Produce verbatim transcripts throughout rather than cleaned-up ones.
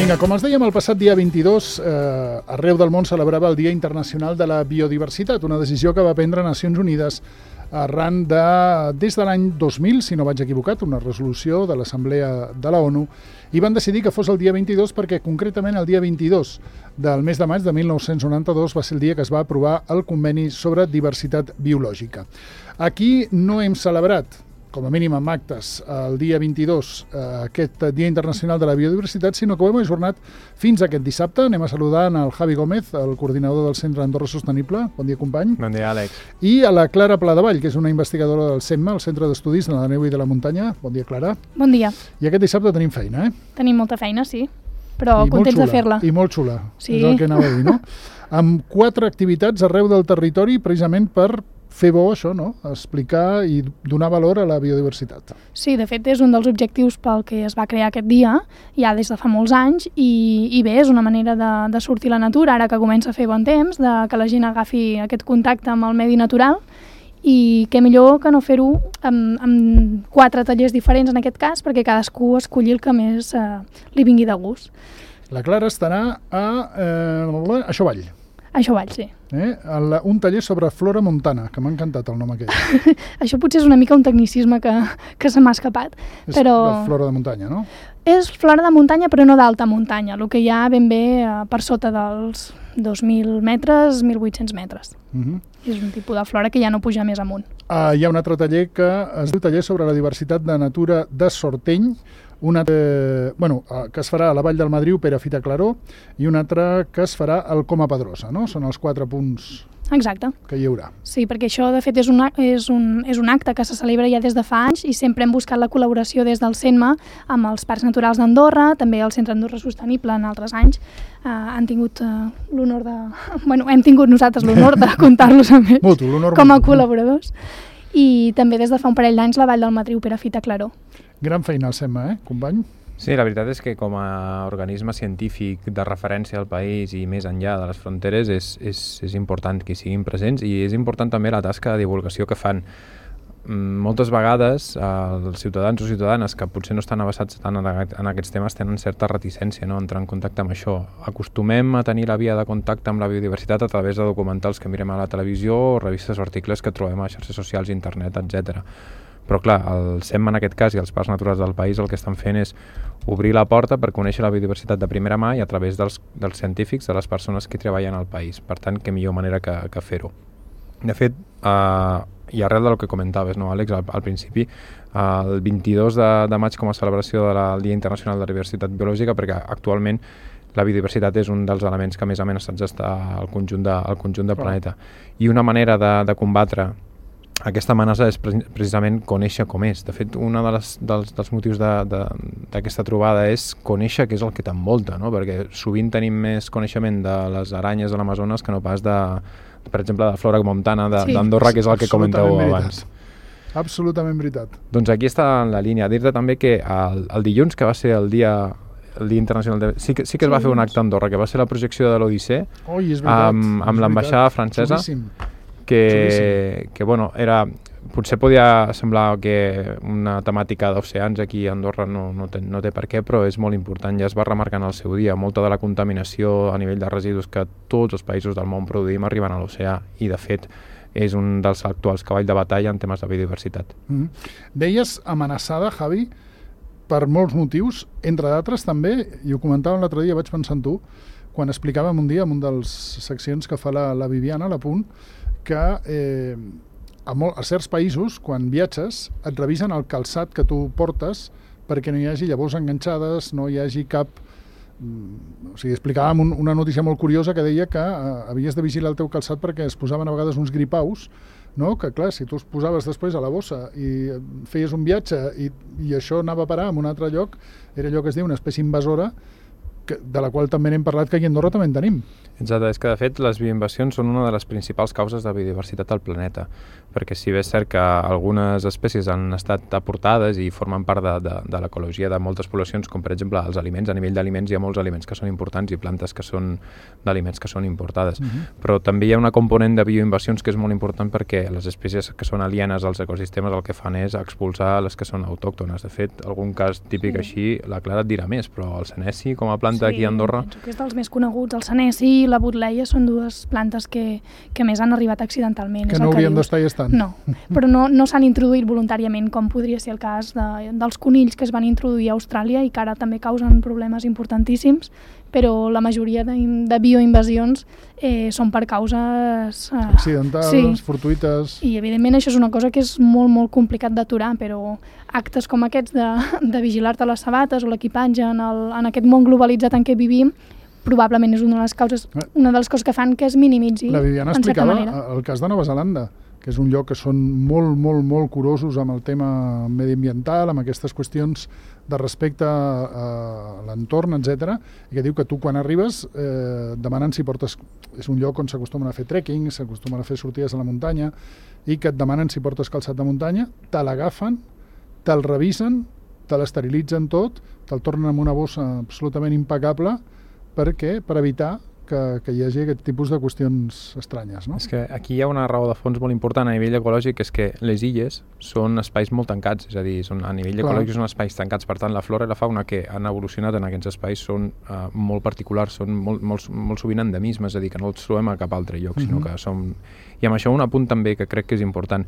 Vinga, com els dèiem, el passat dia vint-i-dos, eh, arreu del món celebrava el Dia Internacional de la Biodiversitat, una decisió que va prendre Nacions Unides arran de, des de l'any dos mil, si no vaig equivocat, una resolució de l'Assemblea de la ONU, i van decidir que fos el dia vint-i-dos perquè concretament el dia vint-i-dos del mes de maig de mil nou-cents noranta-dos va ser el dia que es va aprovar el Conveni sobre Diversitat Biològica. Aquí no hem celebrat, com a mínim amb actes, el dia vint-i-dos, eh, aquest Dia Internacional de la Biodiversitat, sinó que ho hem ajornat fins aquest dissabte. Anem a saludar el Javi Gómez, el coordinador del Centre Andorra Sostenible. Bon dia, company. Bon dia, Àlex. I a la Clara Pladevall, que és una investigadora del CEMMA, el Centre d'Estudis de la Neu i de la Muntanya. Bon dia, Clara. Bon dia. I aquest dissabte tenim feina, eh? Tenim molta feina, sí, però I contents xula, de fer-la. I molt xula, sí. És el que anava a dir, no? Amb quatre activitats arreu del territori, precisament per fer bo això, no? Explicar i donar valor a la biodiversitat. Sí, de fet és un dels objectius pel que es va crear aquest dia, ja des de fa molts anys, i, i bé, és una manera de, de sortir a la natura, ara que comença a fer bon temps, de que la gent agafi aquest contacte amb el medi natural, i què millor que no fer-ho amb, amb quatre tallers diferents en aquest cas, perquè cadascú escolli el que més eh, li vingui de gust. La Clara estarà a, eh, a Xovall. A Xovall, sí. Eh? El, un taller sobre flora montana, que m'ha encantat el nom aquell. Això potser és una mica un tecnicisme que, que se m'ha escapat. És però... la flora de muntanya, no? És flora de muntanya, però no d'alta muntanya, el que hi ha ben bé eh, per sota dels dos mil metres, mil vuit-cents metres. Uh-huh. És un tipus de flora que ja no puja més amunt. Uh, hi ha un altre taller que es diu taller sobre la diversitat de natura de Sorteny, un altre, bueno, que es farà a la Vall del Madriu, Pere Fita Claró, i un altre que es farà al Coma Pedrosa, no? Són els quatre punts Exacte. Que hi haurà. Sí, perquè això de fet és un, és, un, és un acte que se celebra ja des de fa anys i sempre hem buscat la col·laboració des del CENMA amb els Parcs Naturals d'Andorra, també el Centre Andorra Sostenible en altres anys. Uh, han tingut uh, l'honor de... Bueno, hem tingut nosaltres l'honor de comptar-los amb ells Mutu, l'honor com a mutu. col·laboradors. I també des de fa un parell d'anys la Vall del Madriu, Pere Fita Claró. Gran feina al CEMMA, eh, company? Sí, la veritat és que com a organisme científic de referència al país i més enllà de les fronteres és, és, és important que hi siguin presents i és important també la tasca de divulgació que fan. Moltes vegades els ciutadans o ciutadanes que potser no estan avesats tant en aquests temes tenen certa reticència, no?, entrar en contacte amb això. Acostumem a tenir la via de contacte amb la biodiversitat a través de documentals que mirem a la televisió o revistes o articles que trobem a xarxes socials, internet, etcètera. Però clar, el CEMMA en aquest cas i els Parcs Naturals del país el que estan fent és obrir la porta per conèixer la biodiversitat de primera mà i a través dels, dels científics, de les persones que treballen al país. Per tant, què millor manera que, que fer-ho. De fet, eh, i arrel del que comentaves, no, Àlex, al, al principi, eh, el vint-i-dos de, de maig com a celebració del Dia Internacional de la Diversitat Biològica, perquè actualment la biodiversitat és un dels elements que més amenaçats està al conjunt, de, al conjunt del planeta. I una manera de, de combatre aquesta amenaça és precisament conèixer com és. De fet, un de dels, dels motius d'aquesta de, trobada és conèixer què és el que t'envolta, no? Perquè sovint tenim més coneixement de les aranyes de l'Amazones que no pas de, per exemple, de flora montana d'Andorra, sí, que és el que comentàveu abans. Absolutament veritat. Doncs aquí està en la línia. Dir-te també que el, el dilluns, que va ser el dia el Dia Internacional de... Sí que, sí que es va fer un acte a Andorra, que va ser la projecció de l'Odissea amb, amb l'ambaixada francesa. Xulíssim. Que, que bueno, era, potser podia semblar que una temàtica d'oceans aquí a Andorra no, no, té, no té per què, però és molt important, ja es va remarcar en el seu dia, molta de la contaminació a nivell de residus que tots els països del món produïm arriben a l'oceà i de fet és un dels actuals cavalls de batalla en temes de biodiversitat. Mm-hmm. Deies amenaçada, Javi, per molts motius, entre d'altres també, i ho comentàvem l'altre dia, vaig pensar en tu, quan explicàvem un dia en un dels seccions que fa la, la Viviana, la Punt, que eh, a, molt, a certs països, quan viatges, et revisen el calçat que tu portes perquè no hi hagi llavors enganxades, no hi hagi cap... O sigui, explicàvem un, una notícia molt curiosa que deia que eh, havies de vigilar el teu calçat perquè es posaven a vegades uns gripaus, no? Que clar, si tu els posaves després a la bossa i feies un viatge i, i això anava a parar en un altre lloc, era allò que es diu una espècie invasora, de la qual també n'hem parlat que aquí a Andorra també en tenim. Exacte, és que de fet les bioinvasions són una de les principals causes de biodiversitat al planeta. perquè si bé és cert que algunes espècies han estat aportades i formen part de, de, de l'ecologia de moltes poblacions, com per exemple els aliments, a nivell d'aliments hi ha molts aliments que són importants i plantes que són d'aliments que són importades, uh-huh. però també hi ha una component de bioinvasions que és molt important perquè les espècies que són alienes als ecosistemes el que fan és expulsar les que són autòctones. De fet, algun cas típic sí. així, la Clara et dirà més, però el senesi com a planta sí, aquí a Andorra... Sí, penso que és dels més coneguts. El senesi i la butleia són dues plantes que, que més han arribat accidentalment. Que no haurien d'estar i estan. No, però no, no s'han introduït voluntàriament, com podria ser el cas de, dels conills que es van introduir a Austràlia i que ara també causen problemes importantíssims, però la majoria de, de bioinvasions eh, són per causes... Eh, accidentals, sí. fortuïtes... I evidentment això és una cosa que és molt, molt complicat d'aturar, però actes com aquests de, de vigilar-te les sabates o l'equipatge en, el, en aquest món globalitzat en què vivim, probablement és una de les causes, una de les coses que fan que es minimitzi. La Viviana explicava el cas de Nova Zelanda, que és un lloc que són molt, molt, molt curosos amb el tema mediambiental, amb aquestes qüestions de respecte a l'entorn, etcètera, i que diu que tu quan arribes eh, demanen si portes... És un lloc on s'acostumen a fer trekking, s'acostumen a fer sortides a la muntanya, i que et demanen si portes calçat de muntanya, te l'agafen, te'l revisen, te l'esterilitzen tot, te'l tornen amb una bossa absolutament impecable, perquè per evitar que, que hi hagi aquest tipus de qüestions estranyes, no? És que aquí hi ha una raó de fons molt important a nivell ecològic, és que les illes són espais molt tancats, és a dir, són, a nivell Clar. ecològic són espais tancats, per tant la flora i la fauna que han evolucionat en aquests espais són uh, molt particulars, són molt, molt, molt sovint endemismes, és a dir, que no els trobem a cap altre lloc, uh-huh. sinó que som... I amb això un apunt també que crec que és important.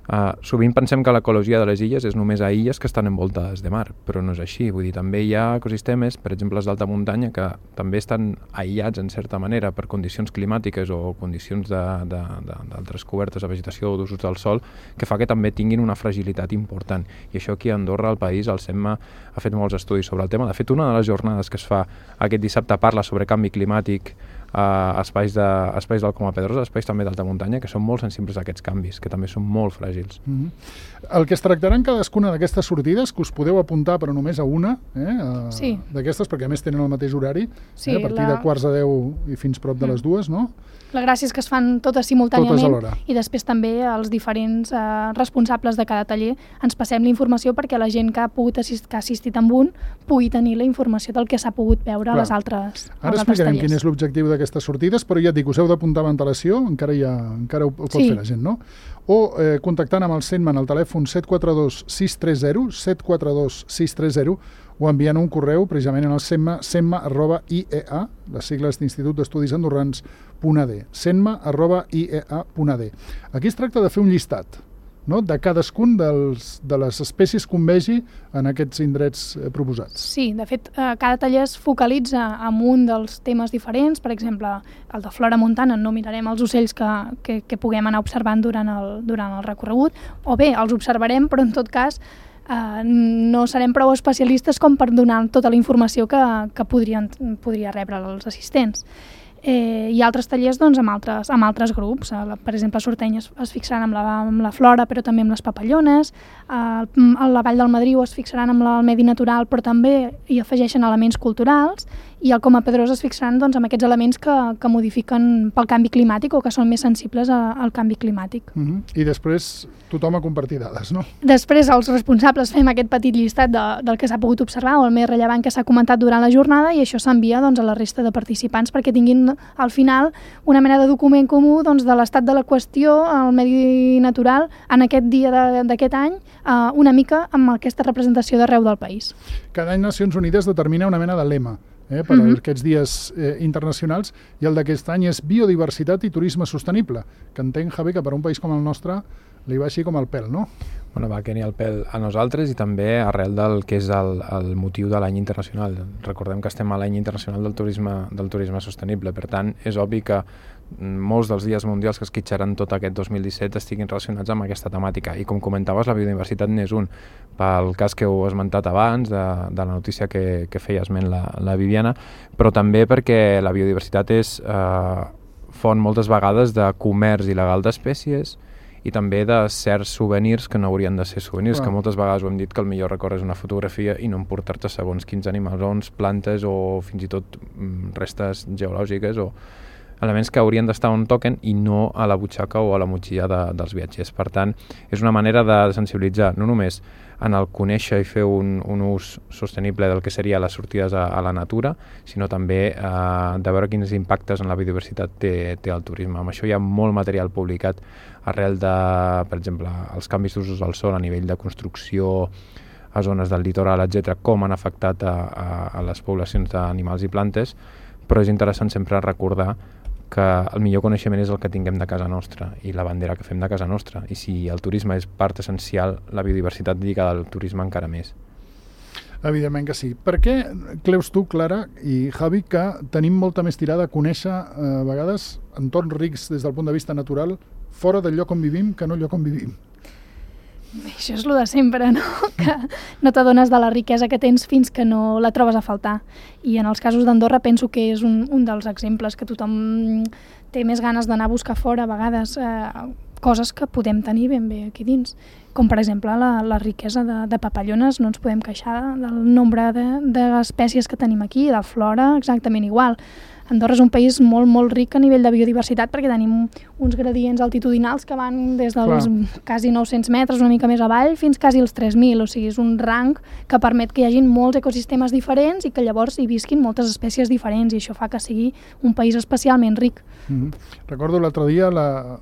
Uh, sovint pensem que l'ecologia de les illes és només a illes que estan envoltades de mar, però no és així. Vull dir, també hi ha ecosistemes, per exemple els d'alta muntanya, que també estan aïllats en certa manera per condicions climàtiques o condicions d'altres cobertes de vegetació o d'usos del sol, que fa que també tinguin una fragilitat important. I això aquí a Andorra, al país, el SEMMA ha fet molts estudis sobre el tema. De fet, una de les jornades que es fa aquest dissabte parla sobre canvi climàtic a espais, de, espais del Coma Pedrosa, espais també d'alta muntanya, que són molt sensibles a aquests canvis, que també són molt fràgils. Mm-hmm. El que es tractarà en cadascuna d'aquestes sortides, que us podeu apuntar però només a una, eh, a, sí. d'aquestes, perquè a més tenen el mateix horari, sí, eh, a partir la... de quarts a deu i fins prop de mm. les dues, no? La gràcia és que es fan totes simultàniament totes i després també els diferents eh, responsables de cada taller ens passem la informació perquè la gent que ha pogut assist, que ha assistit amb un pugui tenir la informació del que s'ha pogut veure Clar. a les altres tallers. Ara explicarem quin és l'objectiu d'aquestes sortides, però ja et dic, us heu d'apuntar amb antelació, encara, ja, encara ho, ho pot sí. fer la gent, no? O eh, contactant amb el SEMMA al telèfon set quatre dos sis tres zero, set quatre dos sis tres zero, o enviant un correu precisament en el SEMMA, semma arroba i e a, les sigles d'Institut d'Estudis Andorrans, punt a d, semma arroba i e a punt a d. Aquí es tracta de fer un llistat, no?, de cadascun dels, de les espècies que un vegi en aquests indrets eh, proposats. Sí, de fet, eh, cada taller es focalitza en un dels temes diferents. Per exemple, el de flora montana no mirarem els ocells que, que, que puguem anar observant durant el, durant el recorregut, o bé, els observarem, però en tot cas eh, no serem prou especialistes com per donar tota la informació que, que podrien, podria rebre els assistents. Eh, hi ha altres tallers doncs, amb, altres, amb altres grups. Eh, per exemple, a Sorteny es, es fixaran amb la, amb la flora, però també amb les papallones. Eh, a la Vall del Madriu es fixaran amb la, el medi natural, però també hi afegeixen elements culturals. I al Coma Pedrosa es fixaran doncs, amb aquests elements que, que modifiquen pel canvi climàtic o que són més sensibles a, al canvi climàtic. Mm-hmm. I després tothom a compartir dades, no? Després els responsables fem aquest petit llistat de, del que s'ha pogut observar o el més rellevant que s'ha comentat durant la jornada i això s'envia doncs, a la resta de participants perquè tinguin al final una mena de document comú doncs, de l'estat de la qüestió al medi natural en aquest dia d'aquest any, eh, una mica amb aquesta representació d'arreu del país. Cada any Nacions Unides determina una mena de lema eh, per uh-huh. aquests dies eh, internacionals i el d'aquest any és biodiversitat i turisme sostenible, que entenc, Javi, que per un país com el nostre li va així com el pèl, no? Bueno, va que ni el pèl a nosaltres i també arrel del que és el, el motiu de l'any internacional. Recordem que estem a l'any internacional del turisme, del turisme sostenible, per tant, és obvi que molts dels dies mundials que es quitxaran tot aquest dos mil disset estiguin relacionats amb aquesta temàtica. I com comentaves, la biodiversitat n'és un. Pel cas que heu esmentat abans, de, de la notícia que, que feia esment la, la Viviana, però també perquè la biodiversitat és eh, font moltes vegades de comerç il·legal d'espècies i també de certs souvenirs que no haurien de ser souvenirs, ah. que moltes vegades ho hem dit que el millor record és una fotografia i no emportar-te segons quins animals, plantes o fins i tot restes geològiques o elements que haurien d'estar on toquen i no a la butxaca o a la motxilla de, dels viatgers. Per tant, és una manera de sensibilitzar no només en el conèixer i fer un, un ús sostenible del que seria les sortides a, a la natura, sinó també eh, de veure quins impactes en la biodiversitat té, té el turisme. Amb això hi ha molt material publicat arrel de, per exemple, els canvis d'usos del sol a nivell de construcció a zones del litoral, etcètera, com han afectat a, a, a les poblacions d'animals i plantes, però és interessant sempre recordar que el millor coneixement és el que tinguem de casa nostra i la bandera que fem de casa nostra. I si el turisme és part essencial, la biodiversitat lligada al turisme encara més. Evidentment que sí. Per què creus tu, Clara i Javi, que tenim molta més tirada a conèixer eh, a vegades entorns rics des del punt de vista natural fora del lloc on vivim que no el lloc on vivim? Això és el de sempre, no? Que no t'adones de la riquesa que tens fins que no la trobes a faltar. I en els casos d'Andorra penso que és un, un dels exemples que tothom té més ganes d'anar a buscar fora a vegades eh, coses que podem tenir ben bé aquí dins. Com per exemple la, la riquesa de, de papallones, no ens podem queixar del nombre d'espècies de, de que tenim aquí, de flora exactament igual. Andorra és un país molt, molt ric a nivell de biodiversitat perquè tenim uns gradients altitudinals que van des dels Clar. quasi nou-cents metres, una mica més avall, fins quasi els tres mil. O sigui, és un rang que permet que hi hagin molts ecosistemes diferents i que llavors hi visquin moltes espècies diferents i això fa que sigui un país especialment ric. Mm-hmm. Recordo l'altre dia, la...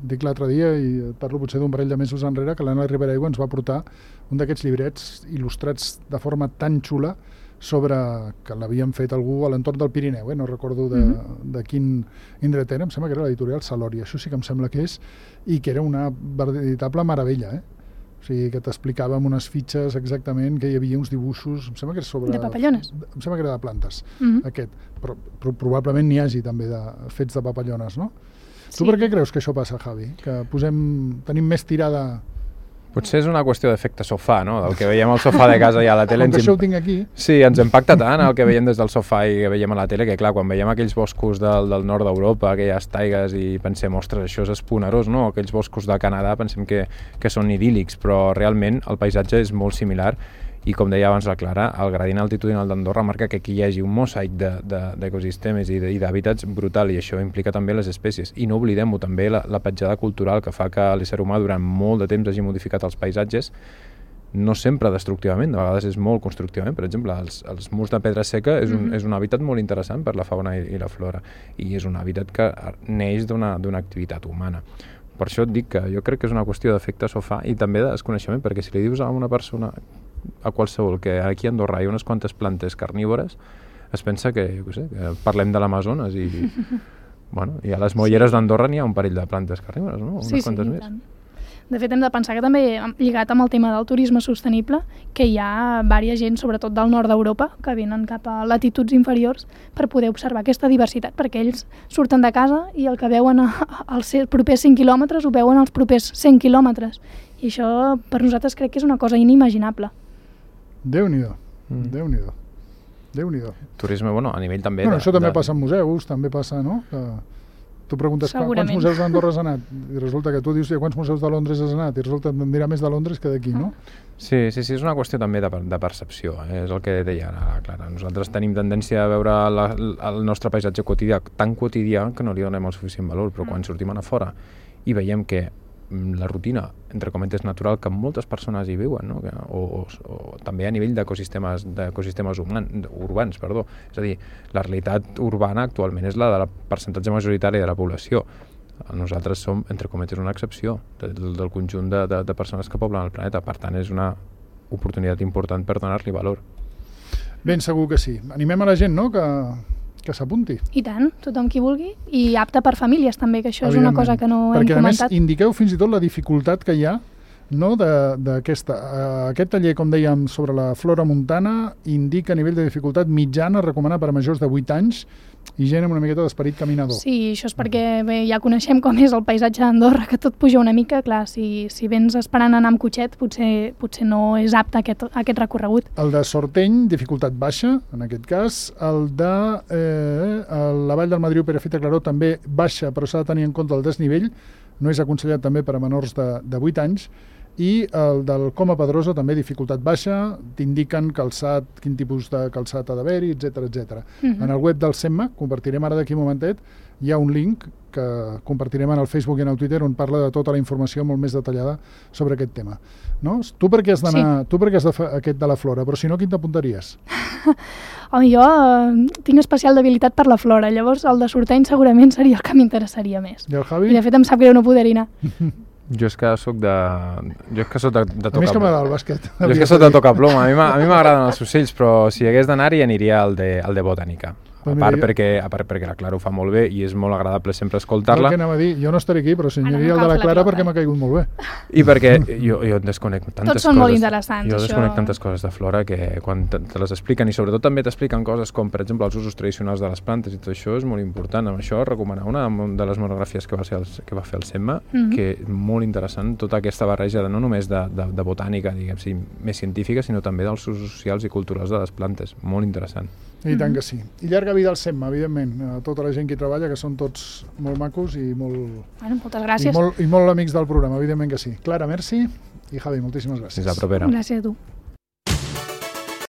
dic l'altre dia i parlo potser d'un parell de mesos enrere, que l'Anna Ribera Aigua ens va portar un d'aquests llibrets il·lustrats de forma tan xula sobre que l'havien fet algú a l'entorn del Pirineu, eh? No recordo de, mm-hmm. de quin indret era, em sembla que era l'editorial Salòria, això sí que em sembla que és, i que era una veritable meravella, eh? O sigui, que t'explicava amb unes fitxes exactament que hi havia uns dibuixos, em sembla que era sobre... De papallones? Em sembla que era de plantes, mm-hmm. aquest, però, però probablement n'hi hagi també de fets de papallones, no? Sí. Tu per què creus que això passa, Javi? Que posem, tenim més tirada... Potser és una qüestió d'efecte sofà, no? Del que veiem al sofà de casa i a la tele... Com que això ho tinc aquí... Sí, ens impacta tant el que veiem des del sofà i que veiem a la tele, que clar, quan veiem aquells boscos del, del nord d'Europa, aquelles taigues, i pensem, ostres, això és esponerós, no? Aquells boscos de Canadà pensem que, que són idíl·lics, però realment el paisatge és molt similar i, com deia abans la Clara, el gradient altitudinal d'Andorra marca que aquí hi hagi un mosaic d'ecosistemes de, de, i d'hàbitats brutal, i això implica també les espècies. I no oblidem-ho també, la, la petjada cultural que fa que l'ésser humà durant molt de temps hagi modificat els paisatges, no sempre destructivament, de vegades és molt constructivament. Per exemple, els, els murs de pedra seca és un, mm-hmm. és un hàbitat molt interessant per la fauna i, i la flora, i és un hàbitat que neix d'una d'una activitat humana. Per això et dic que jo crec que és una qüestió d'efecte sofà i també de desconeixement, perquè si li dius a una persona, a qualsevol, que aquí a Andorra hi ha unes quantes plantes carnívores, es pensa que, jo què sé, que parlem de l'Amazones i, bueno, i a les molleres sí. d'Andorra n'hi ha un parell de plantes carnívores, no? Unes sí, quantes sí, més. tant. De fet, hem de pensar que també, lligat amb el tema del turisme sostenible, que hi ha diversa gent, sobretot del nord d'Europa, que venen cap a latituds inferiors per poder observar aquesta diversitat, perquè ells surten de casa i el que veuen als propers cinc quilòmetres ho veuen als propers cent quilòmetres. I això per nosaltres crec que és una cosa inimaginable. Déu-n'hi-do, mm. Déu-n'hi-do, Déu-n'hi-do. Turisme, bueno, a nivell també... Bueno, de, això també de... passa en museus, també passa, no? Que tu preguntes Segurament. quants museus d'Andorra has anat i resulta que tu dius quants museus de Londres has anat i resulta que et dirà més de Londres que d'aquí, no? Sí, sí, sí, és una qüestió també de, de percepció, eh? És el que deia ara, Clara. Nosaltres tenim tendència a veure la, el nostre paisatge quotidià tan quotidià que no li donem el suficient valor, però quan sortim a fora i veiem que la rutina, entre cometes, natural que moltes persones hi viuen, no? o, o, o també a nivell d'ecosistemes d'ecosistemes urbans, perdó. És a dir, la realitat urbana actualment és la del percentatge majoritari de la població. Nosaltres som, entre cometes, una excepció del, del conjunt de, de, de persones que poblen el planeta. Per tant, és una oportunitat important per donar-li valor. Ben segur que sí. Animem a la gent, no?, que... que s'apunti. I tant, tothom qui vulgui, i apte per famílies també, que això és una cosa que no Perquè, hem comentat. Perquè a més indiqueu fins i tot la dificultat que hi ha, no, d'aquesta. Aquest taller, com dèiem, sobre la flora montana, indica a nivell de dificultat mitjana, recomanar per a majors de vuit anys i gent amb una miqueta d'esperit caminador. Sí, això és perquè bé, ja coneixem com és el paisatge d'Andorra, que tot puja una mica, clar, si, si vens esperant anar amb cotxet, potser, potser no és apte aquest, aquest recorregut. El de Sorteny, dificultat baixa, en aquest cas. El de eh, la Vall del Madriu, Perafita, Claró, també baixa, però s'ha de tenir en compte el desnivell. No és aconsellat també per a menors de, de vuit anys. i el del Coma Pedrosa també dificultat baixa, t'indiquen calçat, quin tipus de calçat ha d'haver-hi, etcètera, etcètera. Uh-huh. En el web del SEMMA, compartirem ara d'aquí un momentet, hi ha un link que compartirem en el Facebook i en el Twitter on parla de tota la informació molt més detallada sobre aquest tema. No? Tu per què has d'anar, sí. tu per què has de fer aquest de la flora, però si no, quin t'apuntaries? Home, jo eh, tinc especial debilitat per la flora, llavors el de Sorteny segurament seria el que m'interessaria més. I el Javi? I de fet em sap greu no poder-hi anar. Jo és que soc de... Jo és que soc de, de tocar... A mi és que m'agrada el bàsquet. Jo és que soc de tocar ploma. A mi m'agraden els ocells, però si hagués d'anar-hi aniria al de, al de botànica. A part, jo... perquè, a part perquè la Clara ho fa molt bé i és molt agradable sempre escoltar-la. El que anava a dir, jo no estaré aquí, però si aniria el de la Clara perquè m'ha caigut molt bé. I perquè jo, jo en desconec tantes Tots coses. són molt interessants, jo això. desconec tantes coses de flora que quan te, te les expliquen, i sobretot també t'expliquen coses com, per exemple, els usos tradicionals de les plantes i tot això és molt important. Amb això recomanar una de les monografies que va, ser el, que va fer el SEMMA, mm-hmm. que és molt interessant, tota aquesta barreja de, no només de, de, de botànica, diguem, sí, més científica, sinó també dels usos socials i culturals de les plantes. Molt interessant. I tant que sí. I llarga vida al SEMMA, evidentment. A tota la gent que hi treballa, que són tots molt macos i molt... Bueno, moltes gràcies. I molt, i molt amics del programa, evidentment que sí. Clara, merci. I Javi, moltíssimes gràcies. Fins la propera. Gràcies a tu.